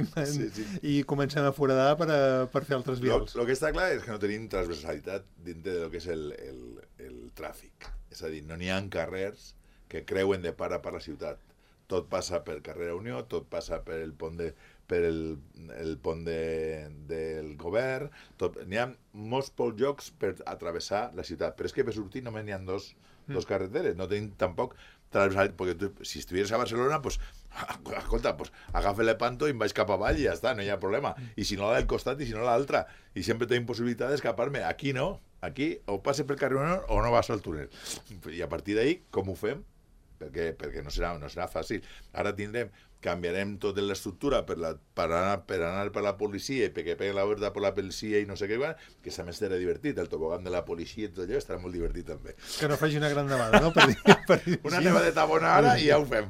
i comencem a foradar per fer altres vials. El que està clar és que no tenim transversalitat dintre del que és el tràfic. És a dir, no n'hi ha carrers que creuen de part a part la ciutat. Tot passa per carrer Unió, tot passa per el pont del govern, n'hi ha molts pocs llocs per atravessar la ciutat, però és que per sortir només n'hi ha dos carreteres, no tenim tampoc transversalitat, perquè si estuvieres a Barcelona, pues, escolta, pues, agafa l'Epanto i em vaig cap avall i ja està, no hi ha problema, i si no la del costat i si no l'altra, i sempre tenim possibilitat d'escapar-me. Aquí no, aquí o passes per carrer Unió o no vas al túnel, i a partir d'ahí, com ho fem? Perquè no serà fàcil. Ara canviarem tota l'estructura per anar per la policia i perquè pegui la verda per la policia i no sé què, que a més serà divertit, el tobogán de la policia i tot allò estarà molt divertit també. Que no faci una gran nevada, no? Una nevadeta bona ara i ja ho fem.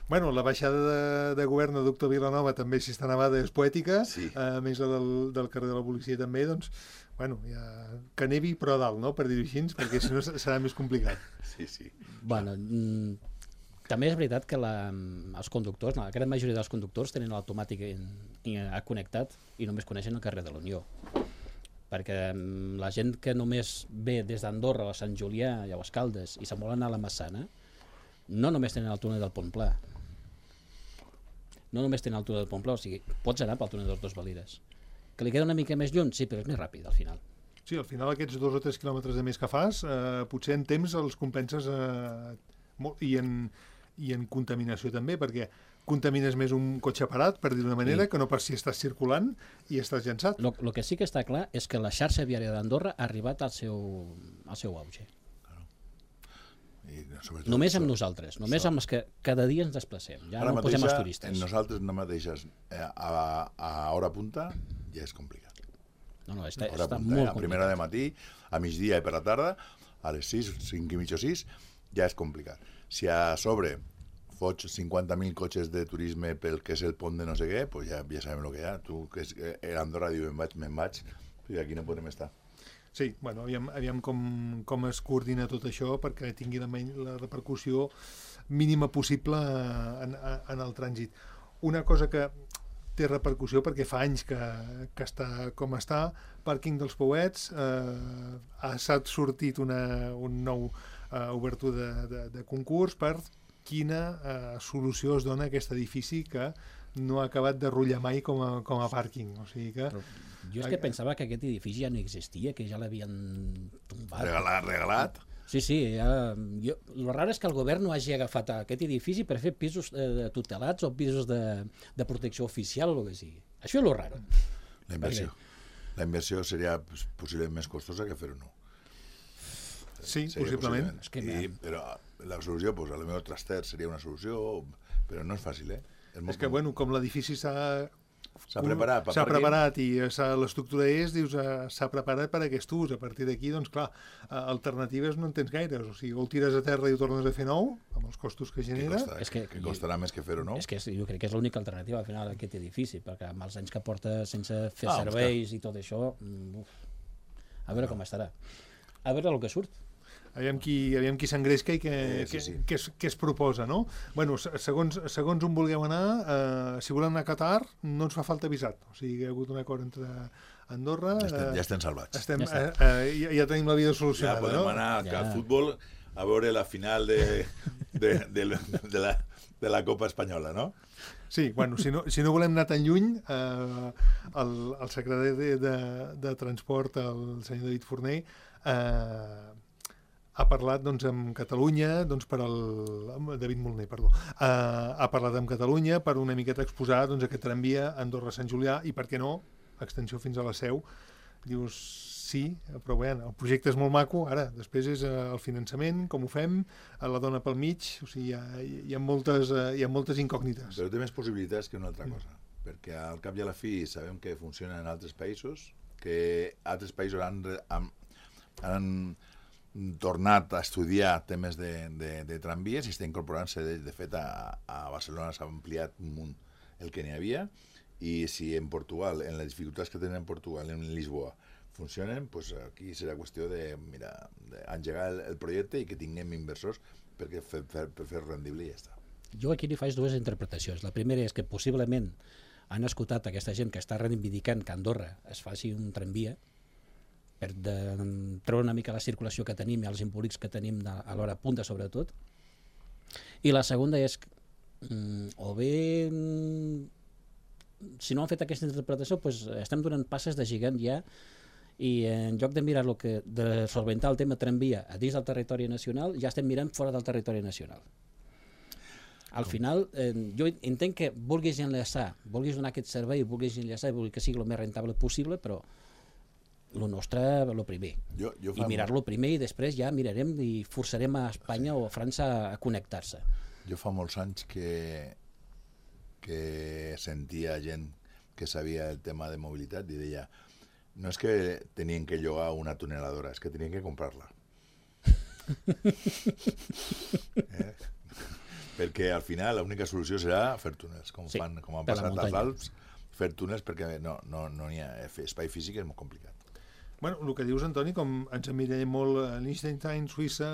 Bueno, la baixada de govern de Doctor Vilanova també, si està nevada, és poètica, a més del carrer de la policia també, doncs, bueno, que nevi però a dalt, no?, per dir-ho així, perquè si no serà més complicat. Sí. Bueno, també és veritat que els conductors, la gran majoria dels conductors tenen l'automàtic connectat i només coneixen el carrer de la Unió. Perquè la gent que només ve des d'Andorra a Sant Julià i a Escaldes i se'n vol anar a la Massana, no només tenen el túnel del Pont Pla. No només tenen el túnel del Pont Pla, o sigui, pots anar pel túnel dels Dos Valires. Que li queda una mica més lluny? Sí, però és més ràpid al final. Sí, al final aquests 2 o 3 quilòmetres de més que fas, potser en temps els compenses i en contaminació també, perquè contamines més un cotxe parat, per dir d'una manera, que no pas si estàs circulant i estàs llançat. El que sí que està clar és que la xarxa viària d'Andorra ha arribat al seu auge. Només amb nosaltres, només amb els que cada dia ens desplacem. Ja no posem els turistes. Nosaltres no mateixes a hora punta ja és complicat. No, està molt complicat. A primera de matí, a migdia i per la tarda, a les 6, 5 i mitja o 6, ja és complicat. Si a sobre fots 50.000 cotxes de turisme pel que és el pont de no sé què, pues ja sabem el que hi ha. Tu, que a Andorra, diu, me'n vaig, i aquí no podem estar. Sí, bueno, aviam com es coordina tot això perquè tingui la repercussió mínima possible en el trànsit. Una cosa que té repercussió perquè fa anys que està com està, pàrquing dels Pouets, s'ha sortit un nou obertura de concurs per quina solució es dona a aquest edifici que no ha acabat de rutllar mai com a pàrquing. O sigui que... Jo és que pensava que aquest edifici ja no existia, que ja l'havien tombat. Regalat? Sí. El raro és que el govern no hagi agafat aquest edifici per fer pisos tutelats o pisos de protecció oficial o el que sigui. Això és el raro. La inversió seria possiblement més costosa que fer-ho no. Sí, possiblement. Però la solució, a lo millor traster seria una solució, però no és fàcil, És que, bueno, com l'edifici s'ha preparat i l'estructura s'ha preparat per a aquest ús. A partir d'aquí, doncs clar, alternatives no en tens gaires. O sigui, o el tires a terra i ho tornes a fer nou, amb els costos que genera. Que costarà més que fer-ho nou? És que jo crec que és l'única alternativa al final d'aquest edifici, perquè amb els anys que porta sense fer serveis i tot això, a veure com estarà. A veure el que surt. Aviam qui s'engresca i què es proposa, no? Bueno, segons on vulgueu anar, si volem anar a Qatar, no ens fa falta visat. O sigui, hi ha hagut un acord entre Andorra... Ja estem salvats. Ja tenim la vida solucionada, no? Ja podem anar al futbol a veure la final de la Copa Espanyola, no? Sí, bueno, si no volem anar tan lluny, el secretari de Transport, el senyor David Forner, ha parlat amb Catalunya, David Moliner, perdó, ha parlat amb Catalunya per una miqueta exposar aquest tramvia Andorra-Sant Julià i, per què no, extensió fins a la Seu. Dius, sí, però bé, el projecte és molt maco, ara, després és el finançament, com ho fem, la dona pel mig, o sigui, hi ha moltes incògnites. Però té més possibilitats que una altra cosa, perquè al cap i a la fi sabem que funciona en altres països, que altres països han tornat a estudiar temes de tramvies i està incorporant-se, de fet a Barcelona s'ha ampliat un munt el que n'hi havia, i si en Portugal, en les dificultats que tenen en Portugal, en Lisboa, funcionen, pues aquí serà qüestió d'engegar el projecte i que tinguem inversors per fer rendible i ja està. Jo aquí li faig dues interpretacions. La primera és que possiblement han escoltat aquesta gent que està reivindicant que a Andorra es faci un tramvia per treure una mica la circulació que tenim i els embolics que tenim a l'hora punta sobretot. I la segona és o bé si no han fet aquesta interpretació doncs estem donant passes de gegant ja i en lloc de mirar de solventar el tema tramvia a dins del territori nacional ja estem mirant fora del territori nacional. Al final, jo entenc que vulguis enllaçar, vulguis donar aquest servei, vulguis enllaçar i vulguis que sigui el més rentable possible, però el nostre, el primer. I mirar-lo primer i després ja mirarem i forçarem a Espanya o a França a connectar-se. Jo fa molts anys que sentia gent que sabia el tema de mobilitat i deia no és que tenien que llogar una tuneladora, és que tenien que comprar-la. Perquè al final l'única solució serà fer túnels, com han passat als Alps, fer túnels perquè no hi ha espai físic, és molt complicat. Bueno, el que dius, Antoni, com ens emmirallem molt a Liechtenstein, Suïssa,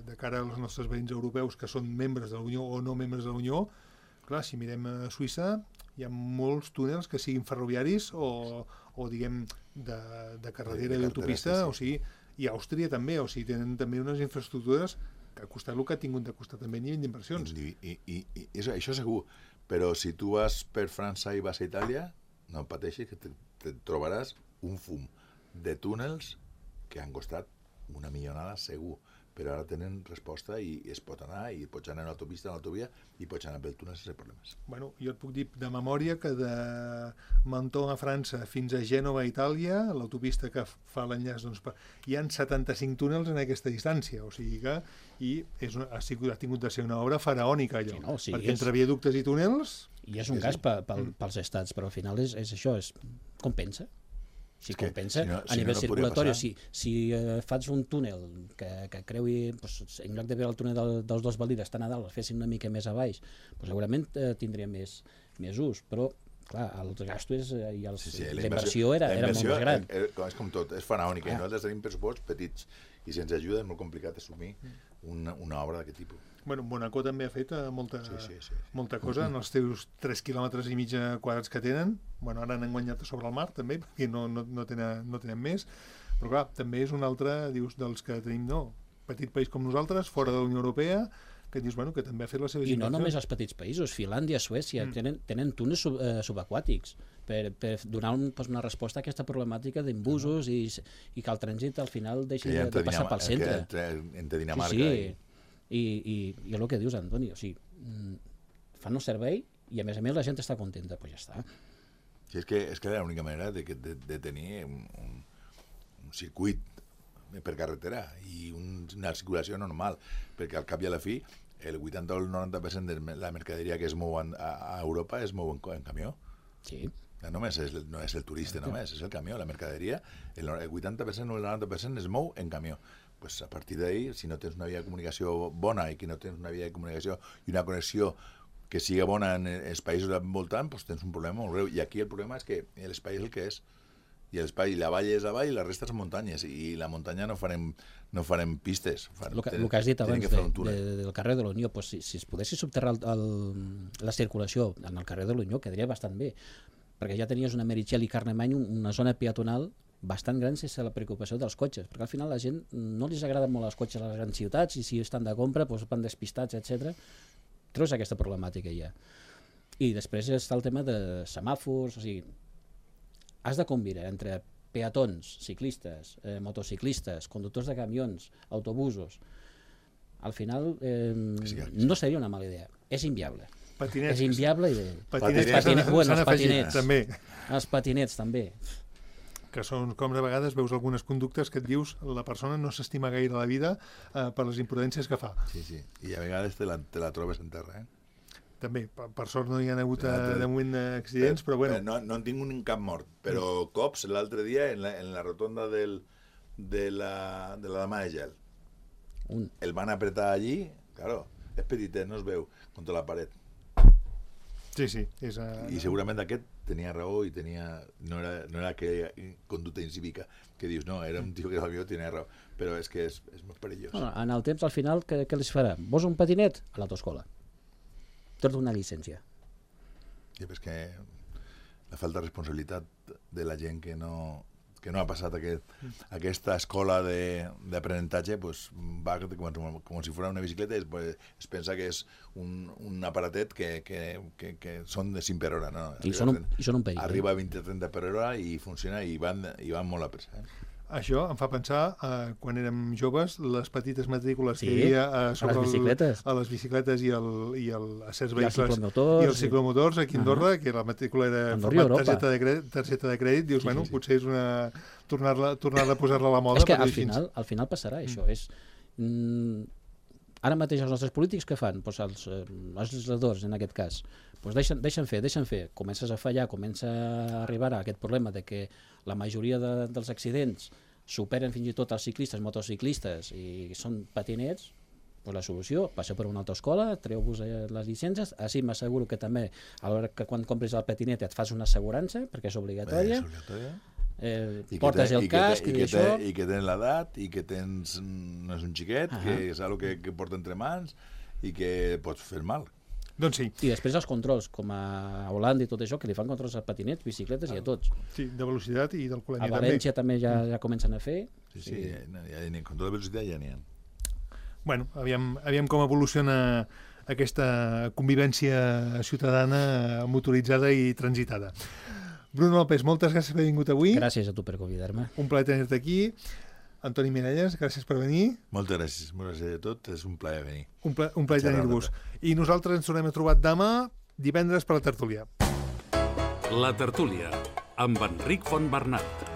de cara als nostres veïns europeus que són membres de la Unió o no membres de la Unió, clar, si mirem a Suïssa hi ha molts túnels que siguin ferroviaris o diguem, de carretera i d'autopista, o sigui, i Àustria també, o sigui, tenen també unes infraestructures que ha costat el que ha tingut de costar també a nivell d'inversions. I això segur, però si tu vas per França i vas a Itàlia, no pateixis que te trobaràs un fum de túnels que han costat una millonada segur, però ara tenen resposta i es pot anar, i pots anar a l'autopista, a l'autovia, i pots anar pel túnel sense problemes. Bueno, jo et puc dir de memòria que de Menton a França fins a Gènova a Itàlia, l'autopista que fa l'enllaç, doncs, hi ha 75 túnels en aquesta distància, o sigui que ha tingut de ser una obra faraònica allò, perquè entre viaductes i túnels... I és un gas pels estats, però al final és això, compensa. Si compensa, a nivell circulatori, si fas un túnel que creui, en lloc de veure el túnel dels dos Valides tan a dalt, el fessin una mica més a baix, segurament tindria més ús, però clar, els gastos i la inversió era molt més gran. És com tot, és faraònica, i nosaltres tenim pressuposts petits i se'ns ajuda, és molt complicat assumir una obra d'aquest tipus. Bueno, Mónaco també ha fet molta cosa en els teus 3,5 quilòmetres quadrats que tenen. Bueno, ara han guanyat sobre el mar també, perquè no tenen més, però clar, també és un altre, dius, dels que tenim, petit país com nosaltres, fora de la Unió Europea, que dius, bueno, que també ha fet les seves inversions. I no només els petits països, Finlàndia, Suècia, tenen túnels subaquàtics per donar una resposta a aquesta problemàtica d'embusos i que el trànsit al final deixi de passar pel centre. Entre Dinamarca i el que dius, Antoni, o sigui, fan el servei i a més la gent està contenta, doncs ja està. Sí, és que era l'única manera de tenir un circuit per carretera i una circulació normal, perquè al cap i a la fi el 80 o el 90% de la mercaderia que es mou a Europa es mou en camió. Sí. No és el turista només, és el camió, la mercaderia, el 80% o el 90% es mou en camió. Pues a partir d'ahí, si no tens una via de comunicació bona i que no tens una via de comunicació i una connexió que siga bona en els països envoltant, pues tens un problema molt greu. I aquí el problema és que l'espai és el que és. I la vall és la vall i la resta són muntanyes. I la muntanya no farem pistes. El que has dit abans del carrer de l'Unió, pues, si es poguessis subterrar la circulació en el carrer de l'Unió, quedaria bastant bé. Perquè ja tenies una Meritxell i Carlemany, una zona peatonal bastant gran sense la preocupació dels cotxes, perquè al final la gent no li agrada molt els cotxes a les grans ciutats i si estan de compra van despistats, etc. Treus aquesta problemàtica ja. I després està el tema de semàfors, o sigui, has de combinar entre peatons, ciclistes, motociclistes, conductors de camions, autobusos. Al final no seria una mala idea, és inviable. Patinets. És inviable i... Els patinets també. Que són com de vegades veus algunes conductes que et dius la persona no s'estima gaire la vida per les imprudències que fa. Sí, i a vegades te la trobes en terra, També, per sort no hi ha hagut de moment accidents, però bueno. No en tinc un cap mort, però cops l'altre dia en la rotonda de la Dama de Gel. El van apretar allí, claro, és petitet, no es veu, contra la paret. Sí, sí. I segurament aquest tenia raó i no era aquella conducta incívica que dius, no, era un tio que potser tenia raó, però és que és molt perillós. Bueno, en el temps, al final, què els farà? Vols un patinet? A l'autoescola. Tot una llicència. Sí, és que la falta de responsabilitat de la gent que no ha passat aquesta escola d'aprenentatge, pues, va com si fos una bicicleta i es pensa que és un aparatet que són de 5 per hora. No? I són un perill. Arriba a 20-30 per hora i funciona i van molt a pressa. Això em fa pensar, quan érem joves, les petites matrícules que hi havia a les bicicletes i a certs vehicles i els ciclomotors aquí a Andorra, que la matrícula era en format targeta de crèdit, dius, bueno, potser és tornar a posar-la a la moda. És que al final passarà això. Ara mateix els nostres polítics què fan? Els legisladors, en aquest cas, deixen fer. Comences a fallar, comença a arribar a aquest problema de que la majoria dels accidents superen fins i tot els ciclistes, motociclistes, i són patinets. La solució, passeu per una autoescola, treu-vos les llicències, així m'asseguro que també a l'hora que quan compris el patinet et fas una assegurança, perquè és obligatòria. Portes el casc i que tens l'edat i que no és un xiquet, que és una cosa que porta entre mans i que pots fer mal. Doncs sí. I després els controls, com a Holanda i tot això, que li fan controls a patinets, bicicletes i a tots. Sí, de velocitat i d'alcoholèmia també. A València també ja comencen a fer. Sí, control de velocitat ja n'hi ha. Bueno, aviam com evoluciona aquesta convivència ciutadana motoritzada i transitada. Bruno López, moltes gràcies per haver vingut avui. Gràcies a tu per convidar-me. Un plaer tenir-te aquí. Antoni Miralles, gràcies per venir. Moltes gràcies a tot, és un plaer venir. Un plaer tenir-vos. I nosaltres ens tornem a trobar demà, divendres, per la tertúlia. La tertúlia, amb Enric Fontbernat.